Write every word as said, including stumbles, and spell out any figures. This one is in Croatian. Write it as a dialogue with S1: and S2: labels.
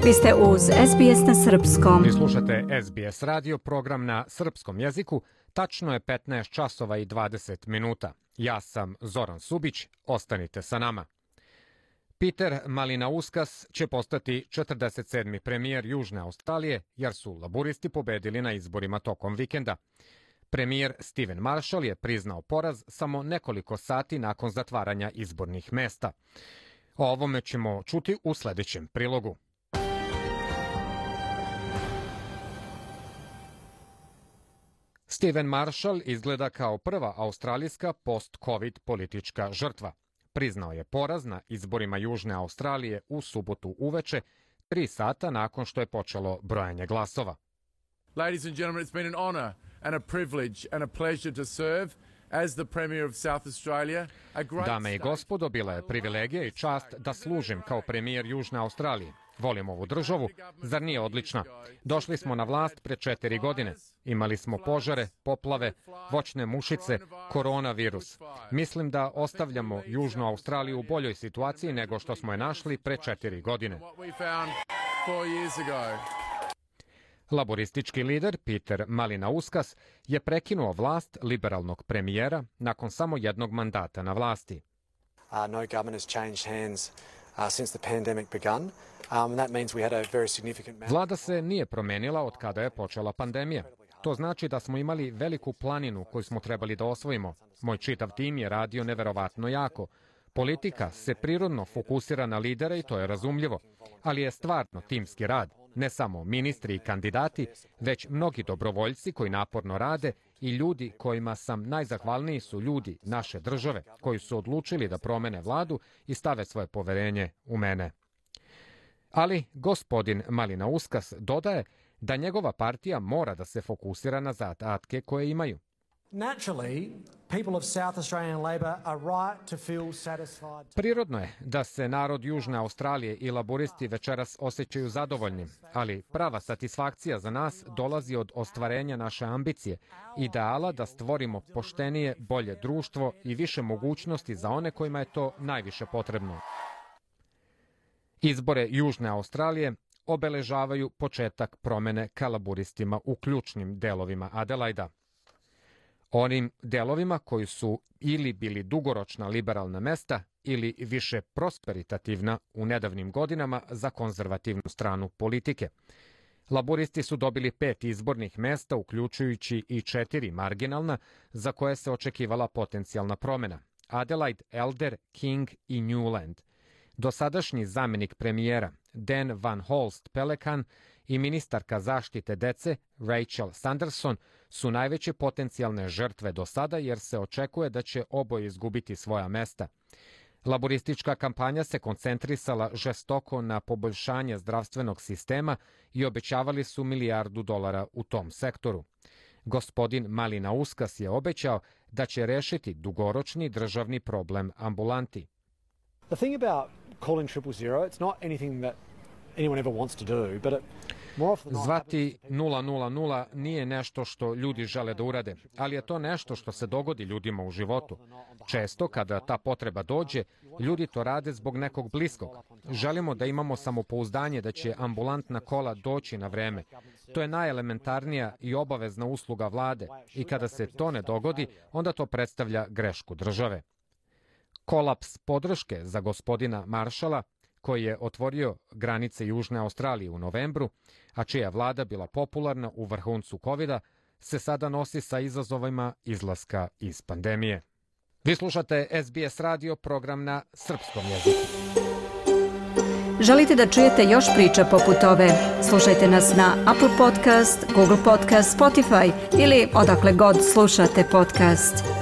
S1: Vi ste uz S B S na srpskom.
S2: Vi slušate S B S radio, program na srpskom jeziku. Tačno je petnaest časova i dvadeset minuta. Ja sam Zoran Subić, ostanite sa nama. Peter Malinauskas će postati četrdeset sedmi premijer Južne Australije, jer su laburisti pobedili na izborima tokom vikenda. Premijer Steven Marshall je priznao poraz samo nekoliko sati nakon zatvaranja izbornih mesta. O ovome ćemo čuti u sljedećem prilogu. Steven Marshall izgleda kao prva australijska post-covid politička žrtva. Priznao je poraz na izborima Južne Australije u subotu uveče, tri sata nakon što je počelo brojanje glasova.
S3: Ladies and gentlemen, it's been an honor and a privilege and a pleasure to serve as the Premier of South Australia.
S2: Dame i gospodo, bila je privilegija i čast da služim kao premijer Južne Australije. Volim ovu državu, zar nije odlična? Došli smo na vlast pre četiri godine. Imali smo požare, poplave, voćne mušice, koronavirus. Mislim da ostavljamo Južnu Australiju u boljoj situaciji nego što smo je našli pre četiri godine. Laboristički lider Peter Malinauskas je prekinuo vlast liberalnog premijera nakon samo jednog mandata na vlasti.
S4: Uh, no government has changed hands uh, since the pandemic begun. Um, that means we had a very significant...
S2: Vlada se nije promenila od kada je počela pandemija. To znači da smo imali veliku planinu koju smo trebali da osvojimo. Moj čitav tim je radio neverovatno jako. Politika se prirodno fokusira na lidere i to je razumljivo. Ali je stvarno timski rad. Ne samo ministri i kandidati, već mnogi dobrovoljci koji naporno rade i ljudi kojima sam najzahvalniji su ljudi naše države, koji su odlučili da promene vladu i stave svoje poverenje u mene. Ali gospodin Malinauskas dodaje da njegova partija mora da se fokusira na zadatke koje imaju. Prirodno je da se narod Južne Australije i laboristi večeras osjećaju zadovoljni, ali prava satisfakcija za nas dolazi od ostvarenja naše ambicije, ideala da stvorimo poštenije, bolje društvo i više mogućnosti za one kojima je to najviše potrebno. Izbore Južne Australije obeležavaju početak promene ka laboristima u ključnim delovima Adelaida. Onim delovima koji su ili bili dugoročna liberalna mesta ili više prosperitativna u nedavnim godinama za konzervativnu stranu politike. Laboristi su dobili pet izbornih mesta, uključujući i četiri marginalna, za koje se očekivala potencijalna promjena. Adelaide, Elder, King i Newland. Dosadašnji zamjenik premijera Dan Van Holst Pelican i ministarka zaštite dece Rachel Sanderson su najveće potencijalne žrtve do sada jer se očekuje da će oboje izgubiti svoja mesta. Laboristička kampanja se koncentrisala žestoko na poboljšanje zdravstvenog sistema i obećavali su milijardu dolara u tom sektoru. Gospodin Malinauskas je obećao da će rešiti dugoročni državni problem ambulanti.
S4: The thing about calling triple zero, it's not anything that anyone ever wants to do, but it more often than not...
S2: Zvati nula nula nula nije nešto što ljudi žele da urade, ali je to nešto što se dogodi ljudima u životu. Često, kada ta potreba dođe, ljudi to rade zbog nekog bliskog. Želimo da imamo samopouzdanje da će ambulantna kola doći na vreme. To je najelementarnija i obavezna usluga vlade i kada se to ne dogodi, onda to predstavlja grešku države. Kolaps podrške za gospodina Marshalla, koji je otvorio granice Južne Australije u novembru, a čija vlada bila popularna u vrhuncu kovida, se sada nosi sa izazovima izlaska iz pandemije. Vi slušate S B S radio, program na srpskom jeziku.
S1: Želite da čujete još priča poput ove? Slušajte nas na Apple Podcast, Google Podcast, Spotify ili odakle god slušate podcast.